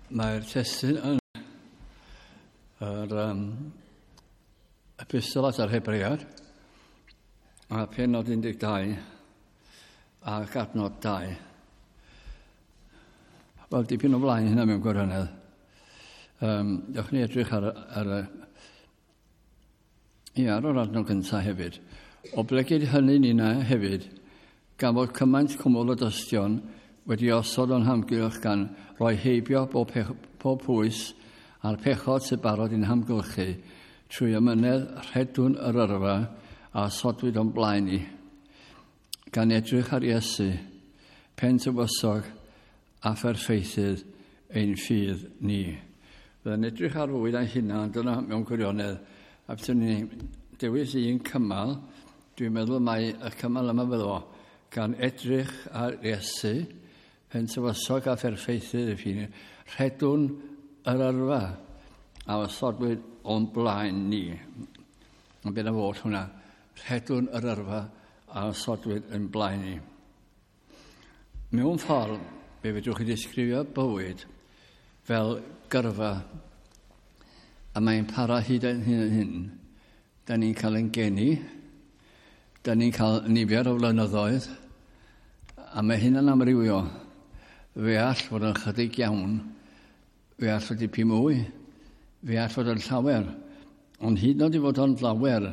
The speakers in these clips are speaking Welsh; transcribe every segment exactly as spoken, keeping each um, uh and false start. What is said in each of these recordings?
Mae'r testun yn yr um, epistol at yr Hebread, a pennod un deg dau ac adnod dau. Wel, dipyn o flaen hynna mewn gwirionedd. Um, dewch ni edrych ar, ar, ia, ar yr adnod gyntaf hefyd. Oblegid hynny ninna hefyd, gan fod cymaint cwmwl o dystion wedi osod o'n hamgylch gan roi heibio bob, pech, pob pwys a'r pechod sy'n barod i'n hamgylchu, trwy amynedd rhedwn yr yrfa a osodwyd o'n blaen ni, gan edrych ar Iesu, pen tywysog a pherffeithydd ein ffydd ni. Fydda'n edrych ar fywyd a'i hunan, dyna mewn gwirionedd, a byswn ni dewis un cymal, dwi'n meddwl mai y cymal yma fyddo fo, gan edrych ar Iesu, pen tywysog a pherffeithydd y ffydd, rhedwn yr yrfa a osodwyd o'n blaen ni. Ond beth am fod hwnna, rhedwn yr yrfa a osodwyd yn blaen ni. Mewn ffordd, fe fedrwch chi ddisgrifio bywyd fel gyrfa, a mae'n para hyd yn hyn yn hyn. Da ni'n cael ein geni, da ni'n cael nifer o flynyddoedd, a mae hynna'n amrywio. Fe all fod yn chydig iawn, fe all fod dipyn mwy, fe all fod yn llawer. Ond hyd yn oed i fod o'n llawer,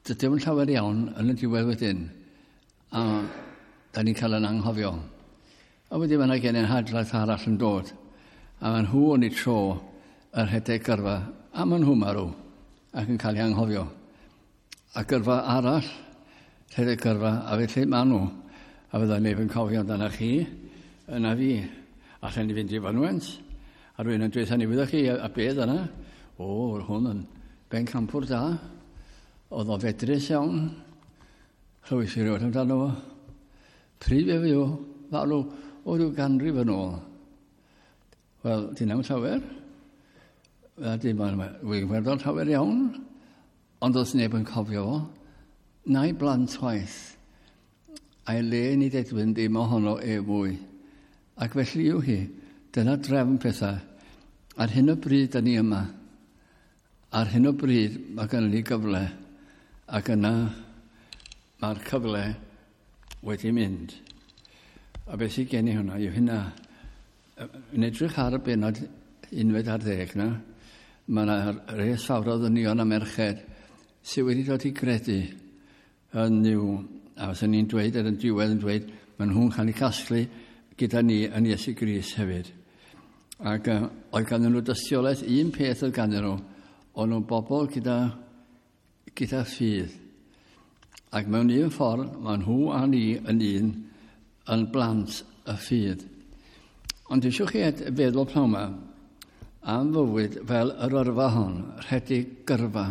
dydy o'n llawer iawn yn y diwedd wedyn. A da ni'n cael yn anghofio. A wedyn mae yna genedlaeth arall yn dod. A maen nhw yn ei tro yr rhedeg gyrfa, a maen nhw marw ac yn cael eu anghofio. A gyrfa arall, rhedeg gyrfa, a felly maen nhw. A fydda neb yn cofio amdano chi, yna fi. Allan ni fynd i fynwent, a rhywun yn dweud, ni wyddoch chi, a, a beth yna? O, hwn yn bencampwr da. Oedd o fedrus iawn. Chlywais i rioed amdano fo. Pryd fe fyw, farw o ryw ganrif yn ôl. Wel, dyn am llawer. Wel, dim ond, wy'n werddol llawer iawn. Ond does neb yn cofio fo. Na'i blant chwaith. A'i le ni dedwyn dim ohono e fwy. Ac felly yw hi. Dyna drefn pethau. Ar hyn o bryd da ni yma. Ar hyn o bryd mae gennym ni gyfle. Ac yna mae'r cyfle wedi mynd. A beth sydd gen i hwnna yw hynna. Yn edrych ar y bennod unfed ar ddeg na, mae yna res fawr o ddynion a merched sydd wedi dod i gredu yn Nuw. A fyswn ni'n dweud ar y diwedd yn dweud, maen nhw'n cael eu casglu gyda ni yn Iesu Grist hefyd. Ac uh, oedd ganddyn nhw dystiolaeth, un peth oedd ganddyn nhw, o'n nhw'n bobl gyda, gyda ffydd. Ac mewn un ffordd, maen nhw a ni yn un yn blant y ffydd. Ond eisiau chi feddwl pnawn yma am fywyd fel yr yrfa hon, rhedeg gyrfa.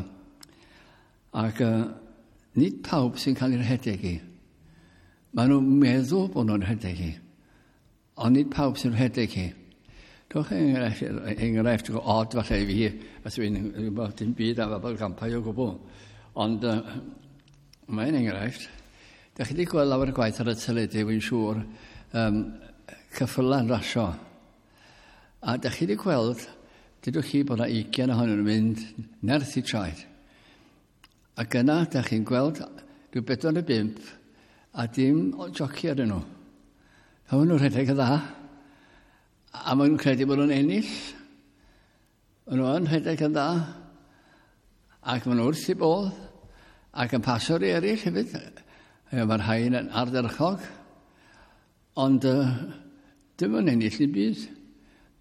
Ac uh, nid pawb sy'n cael ei rhedeg i. Maen nhw'n meddwl bod nhw'n rhedeg i, ond nid pawb sy'n rhedeg i. Dwch enghraifft, enghraifft od falle i fi, os dwi'n gwybod dim byd am bobl gampau o gwbl. Ond uh, mae'n enghraifft. Dach chi wedi gweld lawer o gwaith ar y teledu, wy'n siŵr, um, ceffyla'n rasio. A dach chi wedi gweld, dydwch chi bod yna ugain ohonyn nhw'n mynd nerth i traed. Ac yna, dach chi'n gweld rhyw bedwar neu bump a dim joci arnyn nhw. A maen nhw'n rhedeg yn dda. A maen nhw'n credu bod nhw'n ennill. Maen nhw yn rhedeg yn dda. Ac maen nhw wrth i bodd. Ac yn pasio'r i eraill hefyd. Mae'r rhain yn ardderchog. Ond uh, dim yn ennill i byd.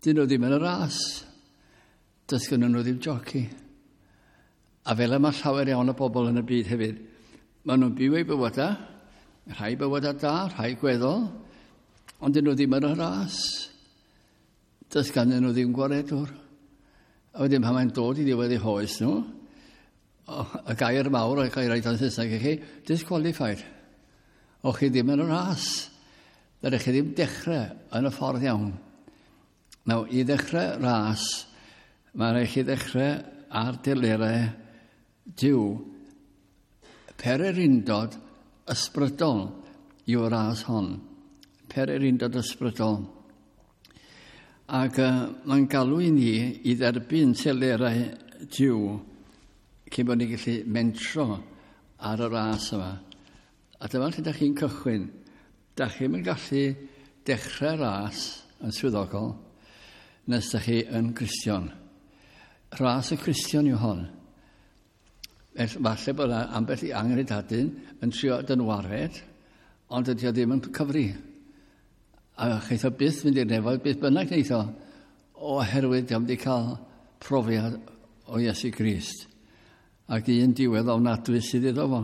Dyn nhw ddim yn y ras. Does gynnon nhw ddim joci. A fel yma llawer iawn o bobl yn y byd hefyd. Maen nhw'n byw eu bywydau, rhai bywydau da, rhai gweddol, ond dyn nhw ddim yn y ras. Does ganddyn nhw ddim gwaredwr. A wedyn pan mae'n dod i ddiwedd eu hoes nhw, y gair mawr, y gair oed yn Saesneg i chi, disqualified. O chi ddim yn y ras. Dydych chi ddim dechrau yn y ffordd iawn. Nawr, i ddechrau ras, mae'n rhaid chi ddechrau ar delerau Duw. Pererindod ysbrydol yw'r ras hon. Pererindod ysbrydol. Ac uh, mae'n galw i ni i dderbyn telerau Duw cyn bod ni'n gallu mentro ar y ras yma. A dyma lle da chi'n cychwyn. Da chi'n gallu dechrau ras yn swyddogol nes da chi yn Gristion. Ras y Cristion yw hon. Falle bod yna ambell i anghredadun yn trio dynwared, ond ydy o ddim yn cyfri. A cheith o byth mynd i'r nefoedd, byth bynnag wneith o, oherwydd diom wedi cael profiad o Iesu Grist. Ac un diwedd ofnadwy sydd iddo fo,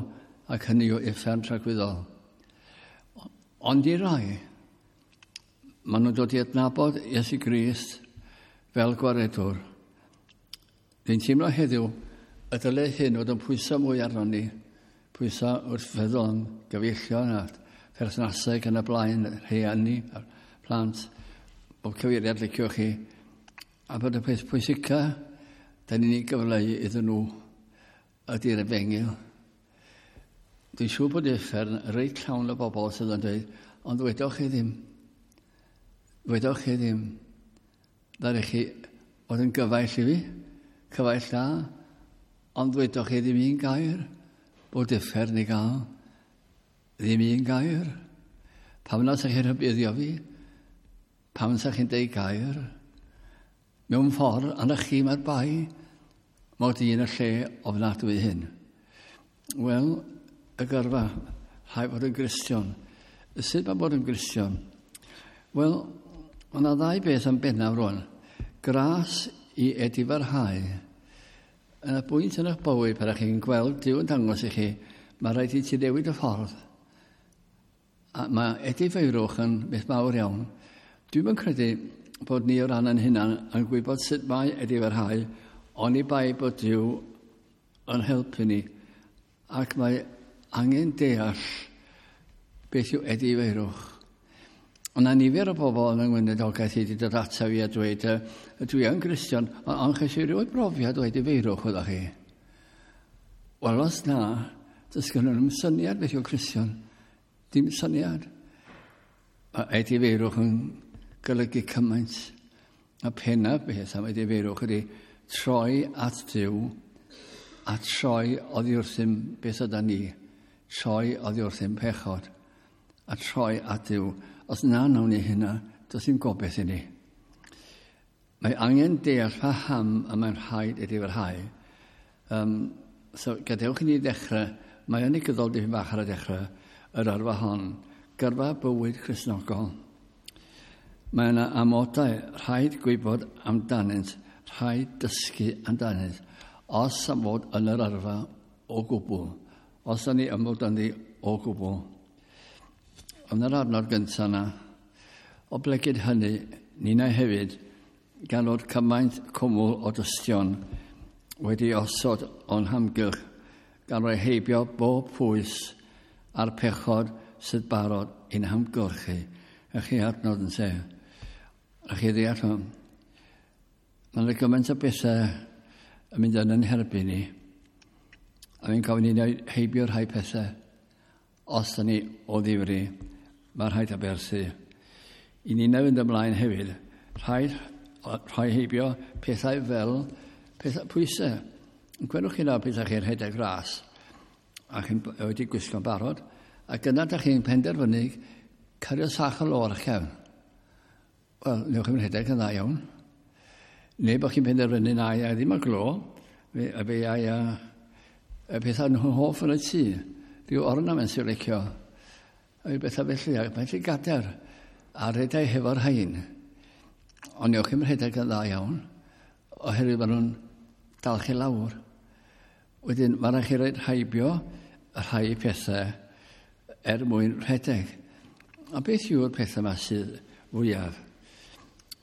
ac hynny yw uffern tragwyddol. Ond i rai, maen nhw'n dod i adnabod Iesu Grist fel gwaredwr. Dwi'n teimlo heddiw y dyle hyn fod yn pwyso mwy arnon ni, pwyso wrth feddwl am gyfeillion a perthnasau yn y blaen, rhieni a'r plant, bob cyfeiriad liciwch chi, a bod y peth pwysica da ni'n ei gyfleu iddyn nhw ydy'r efengyl. Dwi'n siŵr bod uffern reit llawn o bobl sydd yn dweud, ond ddwedoch chi ddim, ddwedoch chi ddim, ddaru chi fod yn gyfaill i fi, cyfaill da, ond ddwedoch chi ddim un gair bod uffern i gael. Ddim un gair. Pam na sa chi'n rhybuddio fi? Pam sa chi'n deud gair? Mewn ffordd, arna chi mae'r bai, mod i yn y lle ofnadwy hyn. Wel, y gyrfa, rhaid fod yn Gristion. Sut mae bod yn Gristion? Wel, mae yna ddau beth yn bennaf rwan. Gras i edifarhau. Yn y bwynt yn eich bywyd, pan ydych chi'n gweld Duw yn dangos i chi, mae rhaid i ti newid y ffordd. A mae edifeirwch yn beth mawr iawn. Dwi'm yn credu bod ni o ran yn hunan yn gwybod sut mae edifarhau, oni bai bod Duw yn helpu ni. Ac mae angen deall beth yw edifeirwch. Ond na nifer o bobl yn yng ngweinidogaeth i wedi dod ata fi a dweud, dwi yn Gristion, ond ches i rioed brofiad o edifeirwch, oeddech chi. Wel, os na, does gen nhw'm syniad beth yw Cristion. Dim syniad. Mae edifeirwch yn golygu cymaint. A pennaf beth am edifeirwch ydy troi at Duw a troi oddi wrthym beth yda ni. Troi oddi wrthym pechod. A troi at Duw. Os na nawn ni hynna, does dim gobaith i ni. Mae angen deall paham y mae'n rhaid edifarhau. Um, so, gadewch i ni ddechrau, mae yn negyddol dipyn bach ar y dechrau, yr yrfa hon, gyrfa bywyd Cristnogol. Mae yna amodau, rhaid gwybod amdanynt, rhaid dysgu amdanynt, os am fod yn yr yrfa o gwbl, os yna ni am fod ynddi o gwbl. Yn yr adnod gyntaf yna, oblegid hynny, ninnau hefyd, gan fod cymaint cwmwl o dystion wedi osod o'n hamgylch, gan roi heibio bob pwys a'r pechod sydd barod i'n hamgylchu. A chi adnod yn se. A chi ddeall hwn. Mae yna gymaint o bethau yn mynd yn yn herbyn ni. A fi'n gofyn i ni heibio rhai pethau. Os da ni o ddifri, mae rhaid aberthu. I ni fynd ymlaen hefyd, rhaid rhoi heibio pethau fel pethau pwysau. Gwelwch chi nawr pethau chi'n rhedeg ras a chi'n wedi gwisgo'n barod, ac yna da chi'n penderfynu cario sach o lo ar eich cefn. Wel, newch chi'n rhedeg yn dda iawn. Neu bod chi'n penderfynu na i ddim y glo, fe, a fe ai a, y pethau nhw'n hoff yn y tŷ. Rhyw ornament sy'n licio. A rhyw bethau felly, ac mae'n lle gadair a rhedeg hefo'r hain. Ond newch chi'n rhedeg yn dda iawn, oherwydd maen nhw'n dal chi lawr. Wedyn, mae rhaid chi roed heibio y rhai pethau er mwyn rhedeg. A beth yw'r pethau yma sydd fwyaf?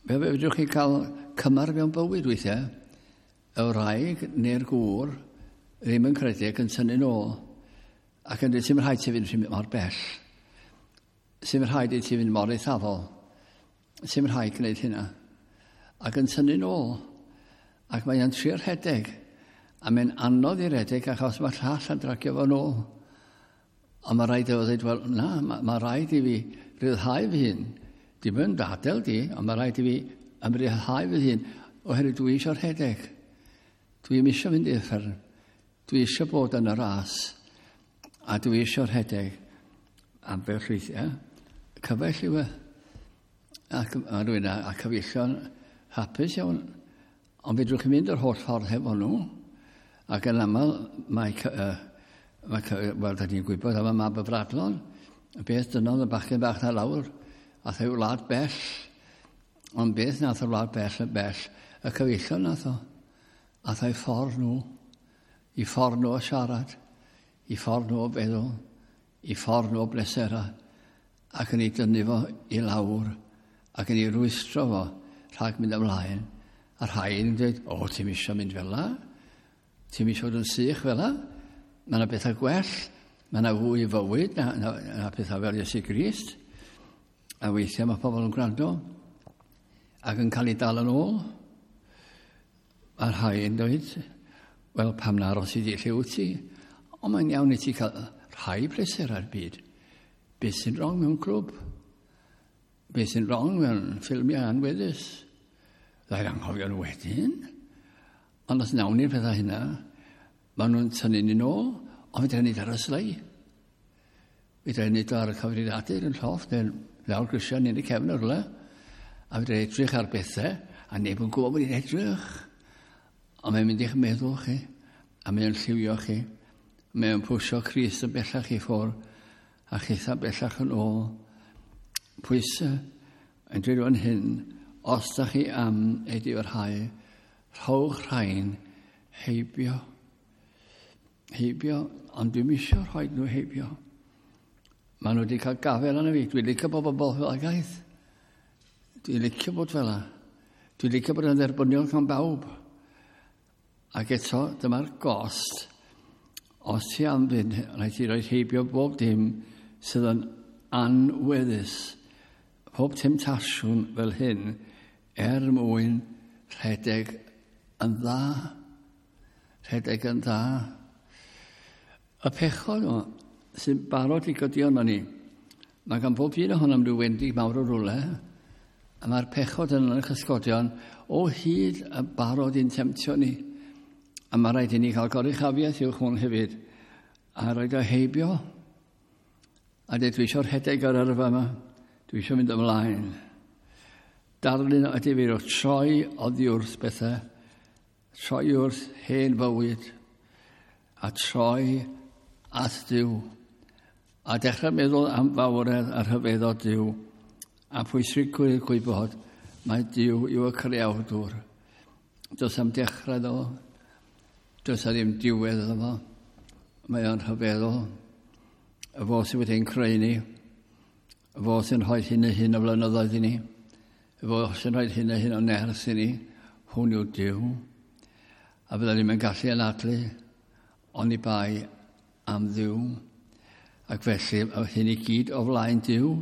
Fe fedrwch chi cael cymar mewn bywyd weithiau, y wraig neu'r gŵr ddim yn credu ac yn tynnu nôl, ac yn dweud, sy'n rhaid ti fynd mor bell, sy'n rhaid i ti fynd mor eithafol, sy'n rhaid gwneud hynna, ac yn tynnu nôl, ac mae'n trio rhedeg, a mae'n anodd i redeg achos mae llall yn dragio fo nôl. Ond mae rhaid i fo ddweud, wel na, mae, mae rhaid i fi ryddhau fy hun. Dim yn adael di, ond mae rhaid i fi Am ryddhau fy hun, oherwydd dwi eisiau rhedeg. Dwi ddim eisiau mynd i'r uffern. Dwi eisiau bod yn y ras. A dwi eisiau rhedeg. Ambell weithiau. Cyfaill yw e. Ac a rhywun a, a cyfeillion hapus iawn. Ond fedrwch chi mynd yr holl ffordd hefo nhw. Ac yn aml mae, uh, mae wel, da ni'n gwybod am y mab y fradlon. Beth dynodd y bachgen bach na lawr. Ath ei wlad bell. Ond beth nath y wlad bell yn bell? Y cyfeillion nath o. Ath ei ffordd nhw. I ffordd nhw o siarad. I ffordd nhw o feddwl. I ffordd nhw o blesera. Ac yn ei dynnu fo i lawr. Ac yn ei rwystro fo rhag mynd ymlaen. A rhai yn dweud, o, ti'n eisiau mynd fel la? Ti'n eisiau fod yn sych fel la? Mae yna bethau gwell. Mae yna fwy i fywyd na, na, na pethau fel Iesu Grist. A weithiau mae pobl yn gwrando ac yn cael ei dal yn ôl. A rhai yn dweud, wel, pam na aros i di lle wyt ti? Ond mae'n iawn i ti cael rhai pleser ar byd. Beth sy'n wrong mewn clwb? Beth sy'n wrong mewn ffilmiau anweddus? Ddair anghofio nhw wedyn. Ond os nawn ni'r pethau hynna, maen nhw'n tynnu ni nôl, ond fedra ni ar y slei. Fedra ni ar y cyfrifiadur yn llofft, neu lawr grisiau neu'n y cefn o'r rhywle. A fedra edrych ar bethau, a neb yn gwybod bod ni'n edrych. Ond mae'n mynd i'ch meddwl chi, a mae'n lliwio chi. Mae'n pwysio Crist yn bellach i ffwrdd, a chitha bellach yn ôl. Pwysau yn dweud fan hyn, os da chi am ei diwrhau, rhowch rhain heibio. Heibio, ond dwi'm eisiau rhoi nhw heibio. Maen nhw wedi cael gafael arno fi. Dwi'n licio bod bobl fel agaeth. Dwi'n licio bod fel la. Dwi'n licio bod yn dderbyniol gan bawb. Ac eto, dyma'r gost. Os ti am fynd, rhaid ti roi heibio bob dim sydd yn anweddus. Pob temtasiwn fel hyn er mwyn rhedeg yn dda. Rhedeg yn dda. Y pechod o, sy'n barod i godi arno ni. Mae gan bob un ohonom rhyw wendid mawr o rwle, a mae'r pechod yn y cysgodion o hyd yn barod i'n temtio ni. A mae rhaid i ni cael goruchafiaeth uwch hwn hefyd, a rhaid o heibio. A dweud, dwi eisiau rhedeg ar yrfa yma, dwi eisiau mynd ymlaen. Darlun o edifeirwch, troi oddi wrth bethau, troi wrth hen fywyd, a troi at Duw. A dechrau meddwl am fawredd a rhyfeddod Duw, a pwysigrwydd gwybod mae Duw yw y creawdwr. Does am dechrau iddo fo, does am ddim diwedd iddo fo. Mae o'n rhyfeddol. Y fo sydd wedi'n creu ni, y fo sy'n rhoi hyn a hyn o flynyddoedd i ni, y fo sy'n rhoi hyn a hyn o nerth i ni, hwn yw Duw. A fydda ni'n gallu anadlu, oni bai am Dduw. Ac felly, hyn i gyd o flaen Duw.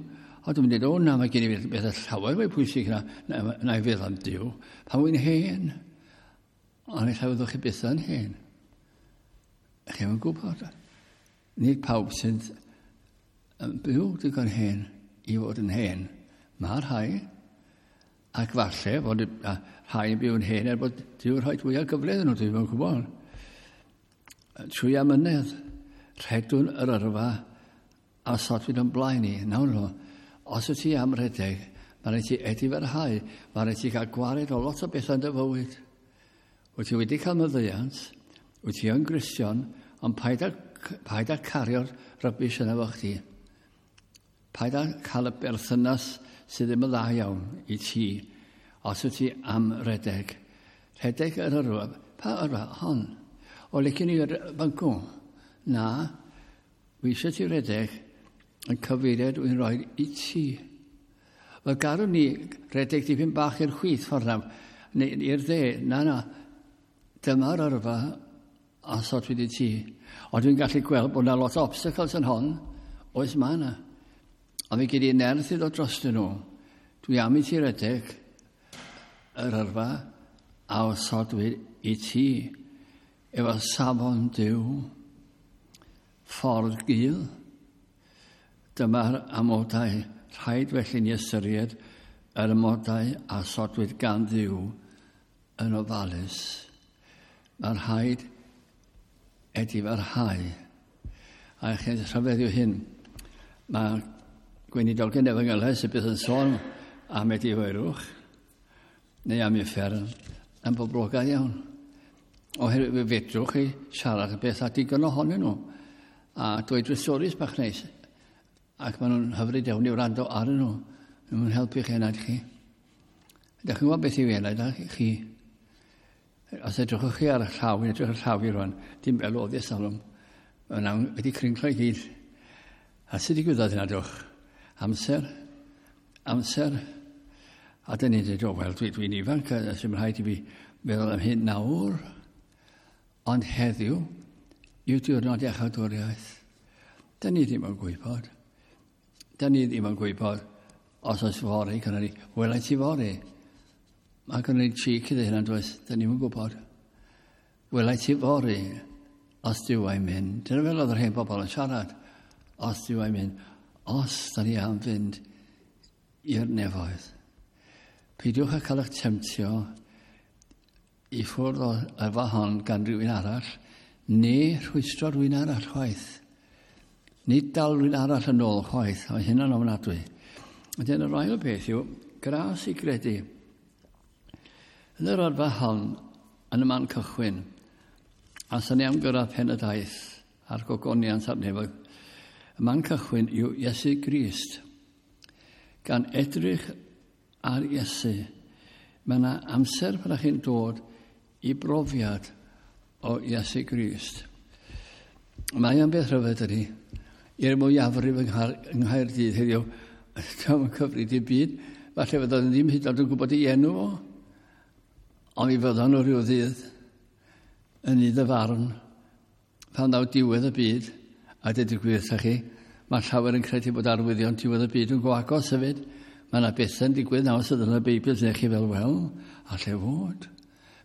A dwi'n dweud, o na, mae gen i bethau llawer mwy pwysig na, na, na i feddwl am Duw. Pan wy'n hen. Ond ella fyddwch chi byth yn hen. Chi'm yn gwybod. Nid pawb sy'n byw digon hen i fod yn hen. Mae rhai. Ac falle fod rhai yn byw yn hen er bod Duw yn rhoi fwy o gyfle iddyn nhw, dwi'n yn gwybod. Trwy amynedd, rhedwn yr yrfa a osodwyd o'n blaen ni. Nawr nhw, os wyt ti am redeg, mae rhaid ti edifarhau, mae rhaid ti gael gwared o lot o bethau yn dy fywyd. Wyt ti wedi cael maddeuant, wyt ti yn Gristion, ond paid â, paid â cario'r rubbish yna fo chdi. Paid â cael y berthynas sydd ddim yn dda iawn i ti, os wyt ti am redeg. Rhedeg yr yrfa, pa yrfa? Hon. O, licen i fancw. Na, wi eisiau ti redeg yn cyfeiriad wy'n rhoi i ti. Wel, garwn ni redeg dipyn bach i'r chwith ffordd na, neu i'r dde. Na, na, dyma'r yrfa a osodwyd i ti. Ond dwi'n gallu gweld bod yna lot o obstacles yn hon. Oes, mae yna. Ond fi gyd i nerth i ddod drostyn nhw. Dwi am i ti redeg yr yrfa a osodwyd i ti efo safon Duw, ffordd gul. Dyma'r amodau. Rhaid felly ni ystyried yr amodau a sodwyd gan Dduw yn ofalus. Mae'r rhaid edifarhau. A chi'n rhyfedd yw hyn. Mae gweinidogion efengylau sydd byth yn sôn am edifeirwch neu am uffern yn boblogaidd iawn. Oherwydd fe fedrwch chi siarad y beth a digon ohonyn nhw. A dweud drwy storis bach neis. Ac maen nhw'n hyfryd iawn i wrando arnyn nhw. Maen nhw'n helpu chi enaid chi. Ydych chi'n gwybod beth yw enaid chi? Os edrychwch chi ar y llaw, yn edrych ar y llaw i rwan, dim fel oedd salwm. Mae'n wedi crinklo i gyd. A sut digwyddodd hynna, dwch? Amser. Amser. A dyn ni'n dweud, o, wel, dwi'n dwi ifanc, a sy'n rhaid i fi meddwl am hyn nawr. Ond heddiw yw diwrnod iachawdwriaeth. Dyn ni ddim yn gwybod. Dyn ni ddim yn gwybod os oes fory, gynnon ni, welai ti fory. Mae gynnon ni cheek iddo hynna, does? Dyn ni'n gwybod. Welai ti fory, os Duw a'i mynd. Dyna fel oedd yr hen bobl yn siarad. Os Duw a'i mynd. Os da ni am fynd i'r nefoedd. Peidiwch â cael eich temtio i ffwrdd o yrfa hon gan rhywun arall, neu rhwystro rhywun arall chwaith. Nid dal rhywun arall yn ôl chwaith, mae hynna'n ofnadwy. Wedyn yr ail beth yw, gras i gredu. Yn yr yrfa hon, yn y man cychwyn, a sy'n ni am gyrraedd pen y daith a'r gogoniant a'r nefoedd, y man cychwyn yw Iesu Grist. Gan edrych ar Iesu, mae yna amser pan ych chi'n dod i brofiad o Iesu Grist. Mae o'n beth rhyfedd ydy, i'r mwyafrif yng Nghaerdydd heddiw, dio'm yn cyfri dim byd, falle fyddan nhw ddim hyd yn oed yn gwybod ei enw fo, ond mi fyddan nhw rhyw ddydd yn nydd y farn, pan ddaw diwedd y byd, a dweud y gwir wrthych chi, mae llawer yn credu bod arwyddion diwedd y byd yn go agos hefyd. Mae yna bethau'n digwydd nawr sydd yn y Beibl sy'n chi fel, wel, alle fod.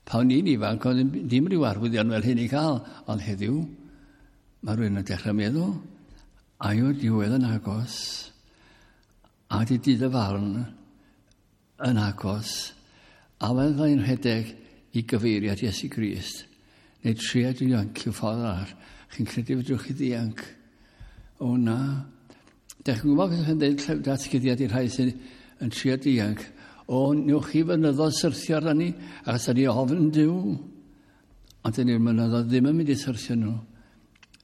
Pan o'n i'n ifanc, oedd ddim rhyw arwyddion fel hyn i cael, ond heddiw, mae rhywun yn dechrau meddwl, a yw'r diwedd yn agos, a di dydd y farn yn agos, a fydda i'n rhedeg i gyfeiriad Iesu Grist, neu trio dianc i'w ffordd arall. Chi'n credu fedrwch chi ddianc? O na. Dech chi'n gwybod beth yn dweud datguddiad i'r rhai sy'n yn trio dianc? O, newch chi fynyddoedd syrthio arna ni, achos da ni ofn Duw. Ond dyn ni'r mynyddoedd ddim yn mynd i syrthio nhw.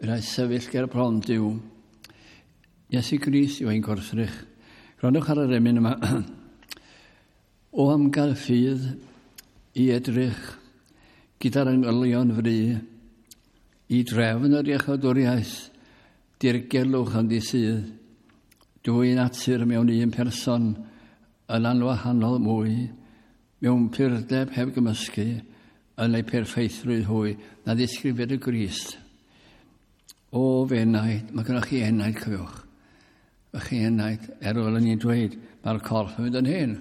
Rhaid sefyll ger bron Duw. Iesu Grist yw ein gwrthrych. Gwrandwch ar yr emyn yma. O am gael ffydd i edrych gyda'r angylion fry i drefn yr iachawdwriaeth, dirgelwch ynddi sydd, dwy natur mewn un person yn anwahanol mwy, mewn purdeb heb gymysgu, yn ei perffeithrwydd hwy, na ddisgrifiad y Grist. O f'enaid, mae gennych chi enaid, cofiwch. Mae chi enaid, er ôl ni'n dweud, mae'r corff yn mynd yn hen.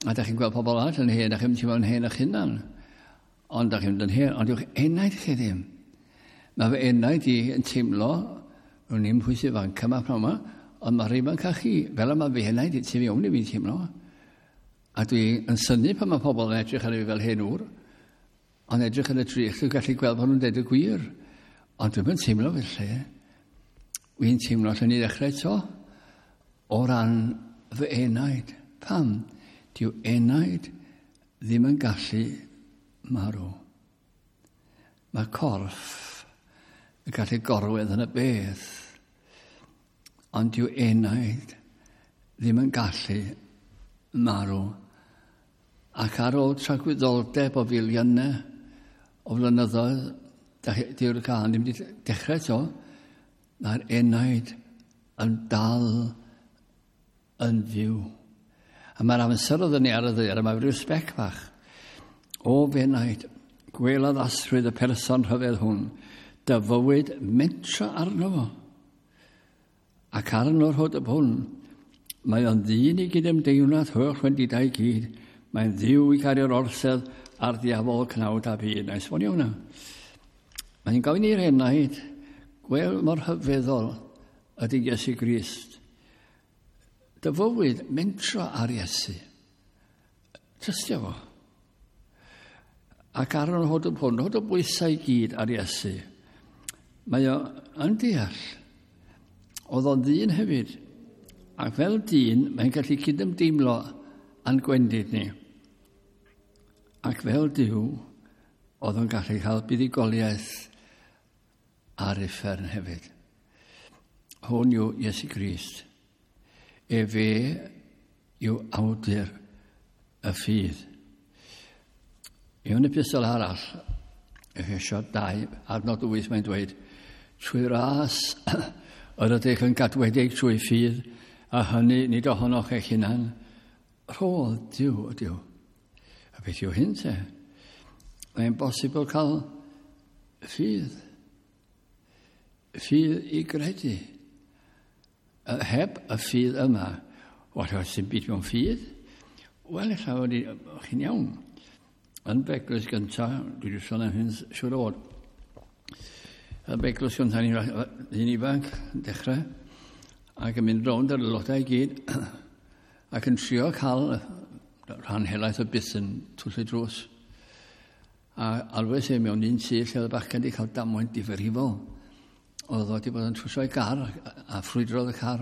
A da chi'n gweld pobl arall yn hen, da chi'n teimlo'n hen eich hunan. Ond da chi'n mynd yn hen, ond yw'ch enaid chi ddim. Mae fy enaid i yn teimlo, rwy'n i'n pwy sydd ifanc yma pnawn yma, ond mae'r ifanc â chi, fel yma fy enaid i tu fewn i fi'n teimlo. A dwi yn synnu pan mae pobl yn edrych ar fi fel hen ŵr, ond edrych yn y drych, dwi'n gallu gweld bod nhw'n deud y gwir. Ond dwi'm yn teimlo felly. Wy'n teimlo allan ni ddechrau eto o ran fy enaid. Pam? Dyw enaid ddim yn gallu marw. Mae corff yn gallu gorwedd yn y bedd, ond dyw enaid ddim yn gallu marw. Ac ar ôl tragwyddoldeb o filiynau o flynyddoedd, dyw'r gân ddim wedi dechrau eto, mae'r enaid yn dal yn fyw. A mae'r amser oedd ni ar y ddaear, a mae rhyw sbec bach. O f'enaid, gwel addasrwydd y person rhyfedd hwn, dy fywyd mentro arno fo. Ac arno'r hwd y hwn, mae o'n ddyn i gydymdeimlad holl wendidau i gyd. Mae'n ddiw i gario'r orsedd a'r diafol cnawd a byd. Na i esbonio hwnna. Mae'n gofyn i'r enaid, gwel mor hyfeddol ydy Iesu Grist. Dy fywyd mentro ar Iesu. Trystio fo. Ac ar yn hod hwn, hod o bwysau i gyd ar Iesu. Mae o yn deall. Oedd o'n ddyn hefyd. Ac fel dyn, mae'n gallu cydymdeimlo â'n gwendid ni. Ac fel Duw, oedd o'n gallu cael buddugoliaeth ar uffern hefyd. Hwn yw Iesu Grist. Efe yw awdur y ffydd. Mewn epistol arall, Efesiaid dau, adnod wyth, mae'n dweud, trwy ras yr ydych yn gadwedig trwy ffydd, a hynny nid ohonoch eich hunan, rhodd Duw ydyw. A beth yw hyn te? Mae'n bosibl cael ffydd. Ffydd i gredu. Heb y ffydd yma, wel, oes dim byd mewn ffydd? Wel, ella fod chi'n iawn. Yn Beglwys gyntaf, dwi wedi sôn am hyn siŵr o fod. Yn Beglwys gyntaf, ni'n ifanc, yn dechrau, ac yn mynd rownd ar aelodau i gyd, ac yn trio cael rhan helaeth o byth yn twll y drws. A alwes e mewn un tŷ lle oedd y bachgen wedi cael damwain difrifol. Oedd o wedi bod yn trwsio ei gar a ffrwydrodd y car.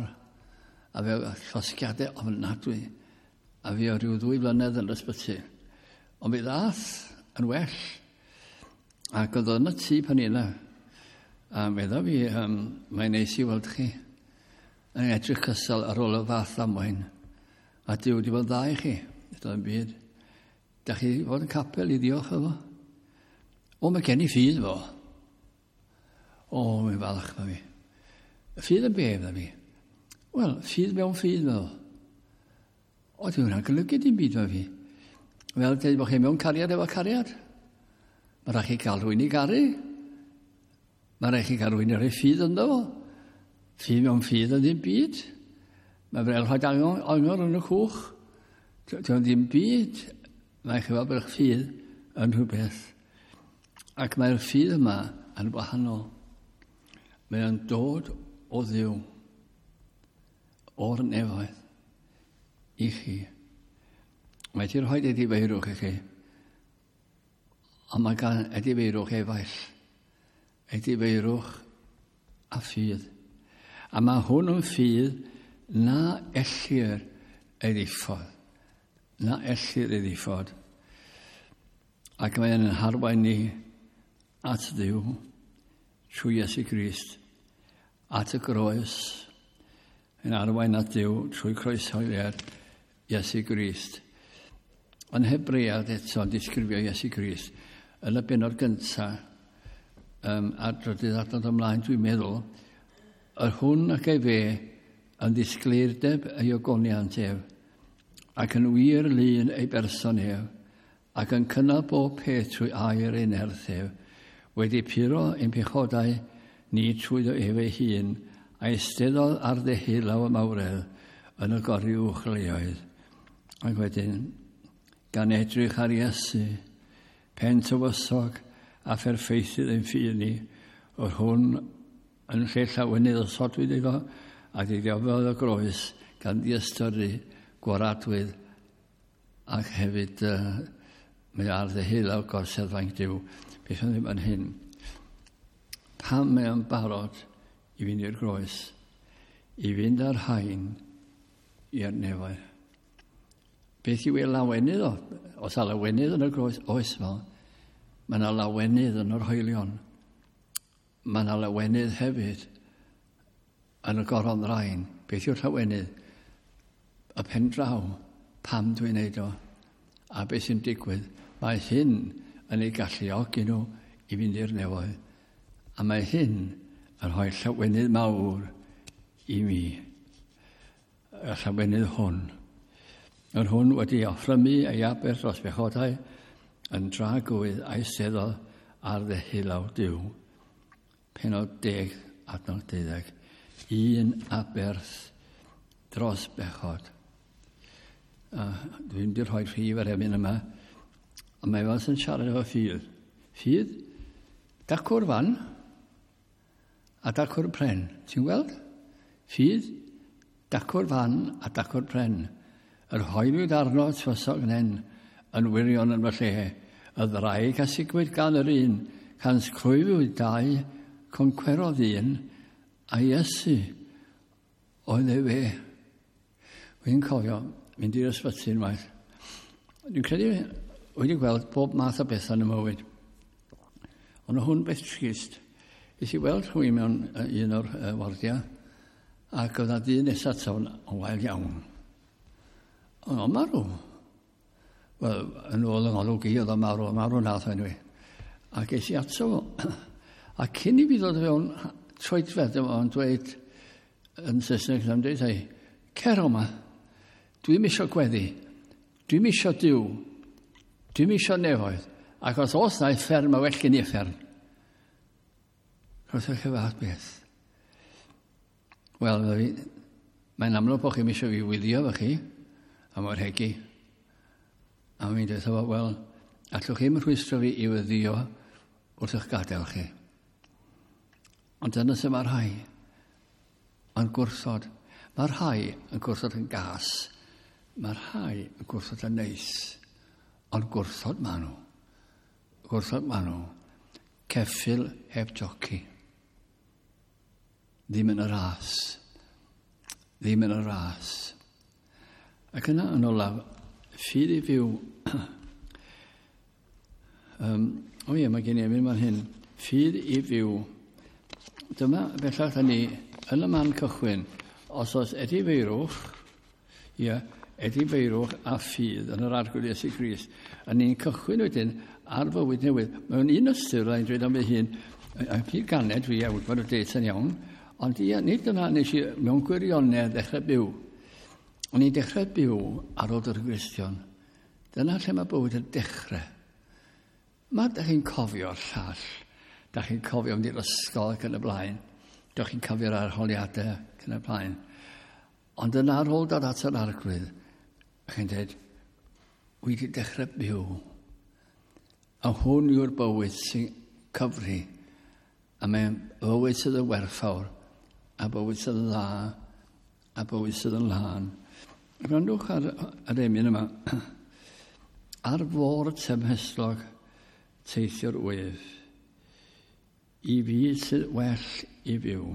A fe llosgiadau ofnadwy. A fi o ryw ddwy flynedd yn yr ysbyty. Ond mi ddath yn well. Ac oedd o yn y tŷ pan i yna. A medda fi, um, mae'n neis i weld chi. Yn edrych cystal ar ôl y fath ddamwain. A Duw wedi bod yn dda i chi. Doedd yn byd. Da chi fod yn capel i ddiolch efo? O, mae gen i ffydd fo. O, mae'n falch ma fi. Ffydd yn be, fydda fi? Wel, ffydd mewn ffydd, meddwl. O, di hwnna'n golygu dim byd ma fi. Fel dweud bod chi mewn cariad efo cariad. Mae rhaid chi gael rhywun i garu. Mae rhaid chi gael rhywun i roi ffydd ynddo fo. Ffydd mewn ffydd yn ddim byd. Mae fel rhoi angor, angor yn y cwch. Dwi'n ddim byd. Mae chi fel bod eich ffydd yn rhywbeth. Ac mae'r ffydd yma yn wahanol. Mae o'n dod o Dduw, o'r nefoedd, i chi. Mae wedi rhoi edifeirwch i chi, ond mae gan edifeirwch efaill, edifeirwch a ffydd. A mae hwn yn ffydd na ellir ei ddiffodd. Na ellir ei ddiffodd. Ac mae'n harwain ni at Dduw trwy Iesu Grist, at y groes, yn arwain at Dduw trwy croeshoeliad Iesu Grist. Yn Hebread eto yn disgrifio Iesu Grist, yn y bennod gyntaf, um, a'r drydydd adnod ymlaen, dwi'n meddwl, yr hwn ac efe yn ddisgleirdeb ei ogoniant ef, ac yn wir lun ei berson ef, ac yn cynnal bob peth trwy air ei nerth ef, wedi puro ein pechodau ni trwyddo ef ei hun, a eisteddodd ar ddeheulaw y mawredd yn y goruwch leoedd. Ac wedyn, gan edrych ar Iesu, pen tywysog a pherffeithydd ein ffydd ni, yr hwn yn lle llawenydd osodwyd iddo, a ddioddefodd y groes gan ddiystyru gwaradwydd, ac hefyd uh, mae ar ddeheulaw gorsedd fainc Duw. Beth o'n ddim yn hyn? Pam mae o'n barod i fynd i'r groes, i fynd ar hain i'r nefoedd? Beth yw ei lawenydd o? Os a lawenydd yn y groes, oes fel. Mae yna lawenydd yn yr hoelion. Mae yna lawenydd hefyd yn y goron ddrain. Beth yw'r llawenydd? Y pen draw, pam dwi'n neud o? A beth sy'n digwydd? Mae hyn yn ei galluogi nhw i fynd i'r nefoedd. A mae hyn yn rhoi llawenydd mawr i mi. Y llawenydd hwn. Yr hwn wedi offrymu ei aberth dros bechodau yn dragywydd a'i seddodd ar ddeheulaw Duw. Pennod deg, adnod deuddeg. Un aberth dros bechod. A dwi'n mynd i rhoi rhif ar emyn yma. Ond mae fel sy'n siarad efo ffydd. Ffydd, dacw'r fan a dacw'r pren. Ti'n gweld? Ffydd, Dacw'r fan a dacw'r pren. Yr hoelwyd arno tywysog nen, yn wirion yn fy lle. Y ddraig a sigwyd gan yr un, cans clwyfwyd dau, concwerodd un, a Iesu oedd e fe. Wy'n cofio mynd i'r ysbyty unwaith. Dwi'n credu wedi gweld bob math o bethau yn y mywyd. Ond hwn beth trist. Nes i weld rhywun mewn un o'r uh, wardiau, ac oedd na dyn nesaf ato yn wael iawn. Ond o'n marw. Wel, yn ôl yng ngolwg i, oedd o'n marw, marw nath o anyway. Ac es i ato fo. A cyn i fi ddod fewn troedfedd, o'n dweud yn Saesneg, o'n dweud, ei, cer o 'ma, dwi'm isio gweddi, dwi'm isio Duw, dwi'm isio nefoedd, ac os oes na uffern, mae well gen i uffern. Croeso chi fath beth. Wel, mae'n amlwg bod chi'n eisiau fi wylio fo chi, a mor hegi. A mi'n dweud, wel, allwch chi'm rhwystro fi i wyddio wrth eich gadael chi. Ond dyna sy'n mae rhai yn gwrthod. Mae rhai yn gwrthod yn gas. Mae rhai yn gwrthod yn neis. Ond gwrthod maen nhw. Gwrthod maen nhw. Ceffyl heb joci. Ddim yn y ras. Ddim yn y ras. Ac yna yn olaf, ffydd i fyw. um, o ie, mae gen i emyn fan hyn. Ffydd i fyw. Dyma bellach da ni yn y man cychwyn. Os oes edifeirwch, ie, edifeirwch a ffydd yn yr Arglwydd Iesu Grist, a ni'n cychwyn wedyn ar fywyd newydd. Mewn un ystyr, rhaid dweud am fy hun, a pryd ganed fi, a wybod y date yn iawn, ond ie, nid dyna nes i mewn gwirionedd ddechrau byw. O'n i'n dechrau byw ar ôl dod yn Gristion. Dyna lle mae bywyd yn dechrau. Mae da chi'n cofio'r llall. Da chi'n cofio mynd i'r ysgol ac yn y blaen. Da chi'n cofio'r arholiadau ac yn y blaen. Ond yna ar ôl dod at yr Arglwydd, chi'n dweud, wi wedi dechrau byw. A hwn yw'r bywyd sy'n cyfri. A mae'n bywyd sydd yn werthfawr, a bywyd sydd yn dda, a bywyd sydd yn lân. Gwrandwch ar yr emyn yma. Ar fôr tymhestlog teithio'r wyf, i fi sydd well i fyw.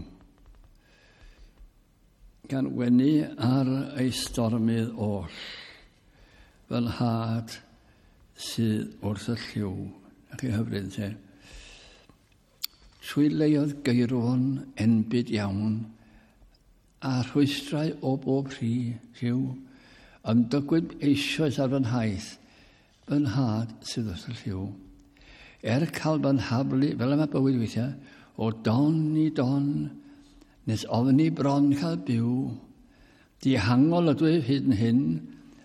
Gan wenu ar ei stormydd oll, fy nhad sydd wrth y llyw. A chi hyfryd te. Trwy leoedd geirwon enbyd iawn, a rhwystrau o bob rhi, rhyw, ymdygwyd eisoes ar fy nhaith, fy nhad sydd wrth y llyw. Er cael fy nhaflu, fel yma bywyd weithiau, o don i don, nes ofni bron cael byw, dihangol ydw i hyd yn hyn,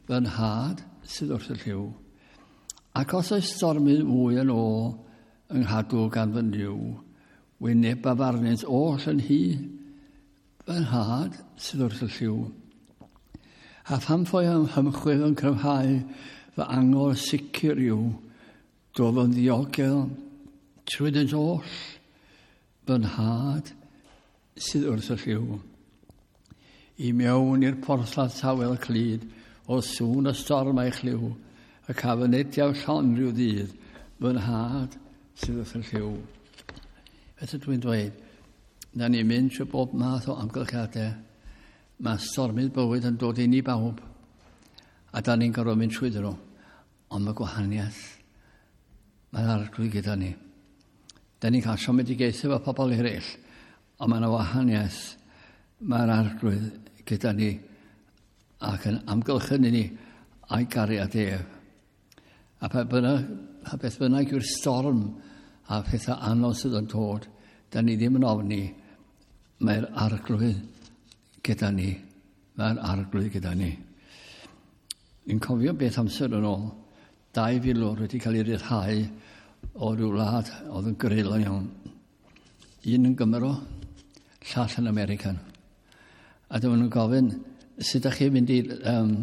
fy nhad sydd wrth y llyw. Ac os oes stormydd mwy yn ôl yng nghadw gan fy Nuw, wynebaf arnynt oll yn hi, fy nhad sydd wrth y llyw. A pham ffoi am hymchwil yn cryfhau fy angor sicr yw, dof yn ddiogel trwyddynt oll, fy nhad sydd wrth y llyw. I mewn i'r porthladd tawel clyd, o sŵn y storm a'i chlyw, y caf yn ediaw llon rhyw ddydd, fy nhad sydd wrth y llyw. Beth ydw i'n dweud? Da ni'n mynd trwy bob math o amgylchiadau. Mae stormydd bywyd yn dod i ni bawb. A da ni'n gorfod mynd trwyddyn nhw. Ond mae gwahaniaeth. Mae'r Arglwydd gyda ni. Da ni'n cael siomedigaethau efo pobl eraill. Ond mae yna wahaniaeth. Mae'r Arglwydd gyda ni ac yn amgylchynu ni a'i gariad ef. A pa bynnag, pa beth bynnag yw'r storm a pethau anodd sydd yn dod, da ni ddim yn ofni, mae'r Arglwydd gyda ni. Mae'r Arglwydd gyda ni. Ni'n cofio beth amser yn ôl, dau filwr wedi cael ei ryddhau o ryw wlad oedd yn greulon iawn. Un yn Gymro, llall yn American. A dyma nhw'n gofyn, sut ydych chi'n mynd i, um,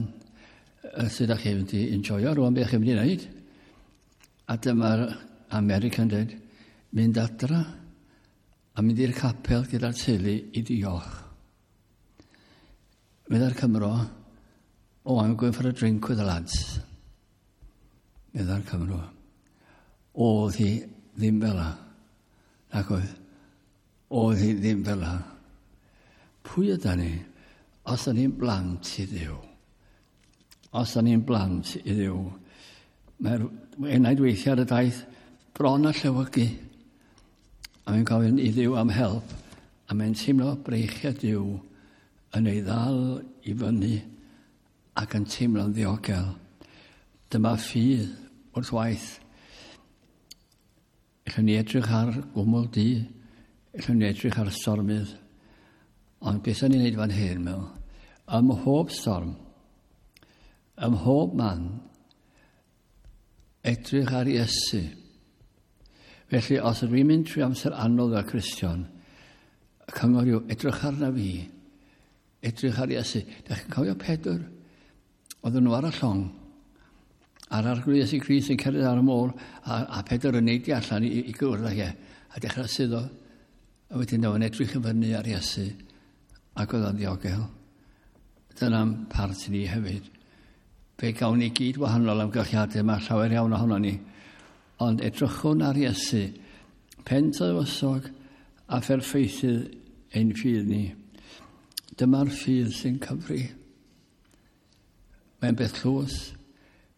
sut ydych chi'n mynd i enjoyo rwan, beth chi'n mynd i wneud? A dyma'r American dweud, mynd adra a mynd i'r capel gyda'r teulu i diolch. Meddai'r Cymro, "Oh, I'm going for a drink with the lads." Meddai'r Cymro. Oedd hi ddim fel 'na. Ac oedd, oedd hi ddim fel 'na. Pwy yda ni? Os yda ni'n blant i Dduw. Os yda ni'n blant i Dduw. Mae'r enaid weithiau ar y daith bron a llewygu. A mae'n gofyn i Dduw am help. A mae'n teimlo breichiau Duw yn ei ddal i fyny ac yn teimlo'n ddiogel. Dyma ffydd wrth waith. Ellwn ni edrych ar gwmwl du, ellwn ni edrych ar stormydd, ond beth o'n i'n neud fan hyn, meddwl, ym mhob storm, ym mhob man, edrych ar Iesu. Felly, os ydw i'n mynd trwy amser anodd fel Cristion, y cyngor yw edrych arna fi, edrych ar Iesu. Dach chi'n cofio Pedr? Oedden nhw ar y llong, a'r Arglwydd Iesu Grist yn cerdded ar y môr, a, a Pedr yn neidio allan i, i gwrdd ag e, a dechrau suddo. A wedyn o'n edrych i fyny ar Iesu, ac oedd o'n ddiogel. Dyna'n part ni hefyd. Fe gawn ni gyd wahanol amgylchiadau, mae llawer iawn ohono ni. Ond edrychwn ar Iesu, pen tywysog a pherffeithydd ein ffydd ni. Dyma'r ffydd sy'n cyfri. Mae'n beth tlws.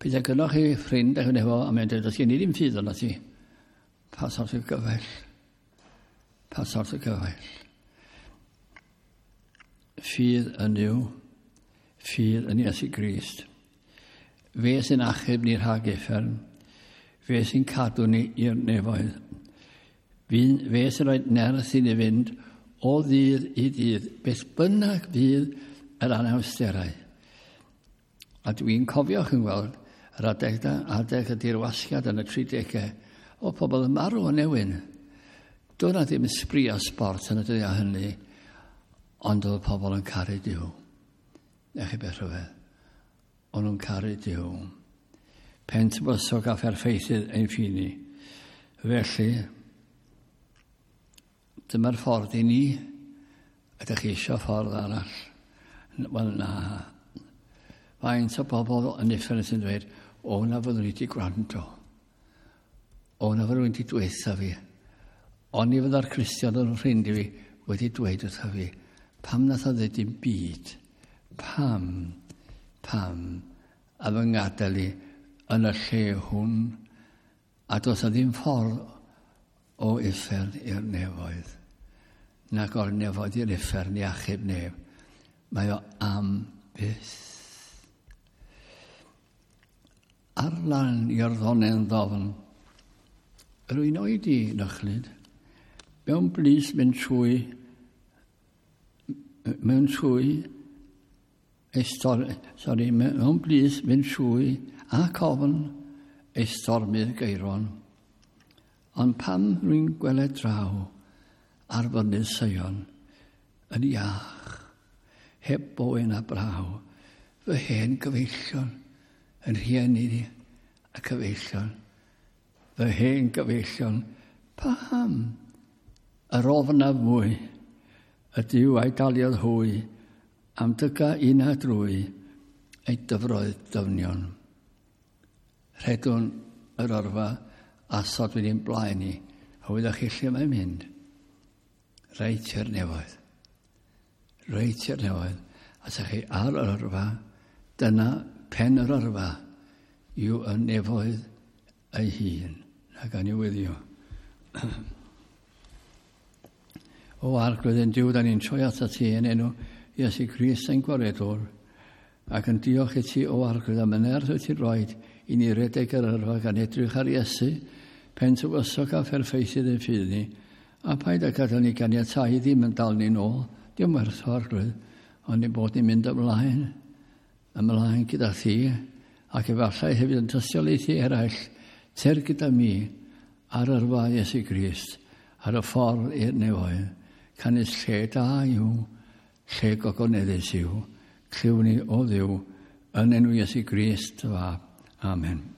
Peidio gynnoch chi ffrind a'ch efo, a mae'n dweud, "Does gen i ddim ffydd yna ti." Pa sort o gyfaill? Pa sort o gyfaill? Ffydd yn Nuw, ffydd yn Iesu Grist. Fe sy'n achub ni rhag uffern. Fe sy'n cadw ni i'r nefoedd. Fe, fe sy'n rhoi nerth i ni fynd o ddydd i ddydd, beth bynnag fydd yr anawsterau. A dwi'n cofio chi'n gweld yr adeg, da, adeg y dirwasgiad yn y tridegau, o pobl yn marw o newyn. Doedd 'na ddim sbri a sport yn y dyddiau hynny, ond oedd pobl yn caru Duw. Nech chi beth rhyfedd. O'n nhw'n caru Duw. Pen tywysog a pherffeithydd ein ffydd ni. Felly, dyma'r ffordd i ni. Ydych chi eisiau ffordd arall? Wel, na. Faint o bobl yn uffern sy'n dweud, "O, na fyddwn i wedi gwrando. O, na fyddwn i wedi dweutha fi. Oni fydda'r Cristion yn ffrind i fi wedi dweud wrtha fi. Pam nath o ddweud dim byd? Pam? Pam? A fy ngadael i yn y lle hwn?" A does na ddim ffordd o uffern i'r nefoedd. Nac o'r nefoedd i'r uffern i achub neb. Mae o am byth. Ar lan Iorddonen ddofn, rwy'n oedi nychlyd, mewn blys mynd trwy, mewn trwy, ei stor, sorry, mewn blys mynd trwy ac ofn ei stormydd geiron. Ond pam rwy'n gweled draw ar fynydd Seion yn iach, heb boen a braw, fy hen gyfeillion, yn rhieni ni a cyfeillion, fy hen gyfeillion, paham yr ofnaf mwy, y Duw a'i daliodd hwy, am dyga un a drwy ei dyfroedd dyfnion. Rhedwn yr yrfa a sodwyd i'n blaen ni, a wyddoch chi lle mae'n mynd? Reit i'r nefoedd. Reit i'r nefoedd. A sa chi ar yr yrfa, dyna pen yr yrfa yw y nefoedd ei hun. Na gan i weddïo. O Arglwydd ein Duw, da ni'n troi atat ti yn enw Iesu Grist ein Gwaredwr, ac yn diolch i ti, o Arglwydd, am y nerth wyt ti'n rhoi i ni redeg yr yrfa gan edrych ar Iesu, pen tywysog a pherffeithydd ein ffydd ni, a paid â gadael ni ganiatáu ddim yn dal ni'n ôl, dim werth o Arglwydd, ond ni bod ni'n mynd ymlaen, ymlaen gyda thi, ac efallai hefyd yn tystiolaethu eraill, ter gyda mi ar yrfa Iesu Grist, ar y ffordd i'r nefoedd, canys lle da yw, lle gogoneddus yw, clyw ni o Dduw, yn enw Iesu Grist, dy fab. Amen.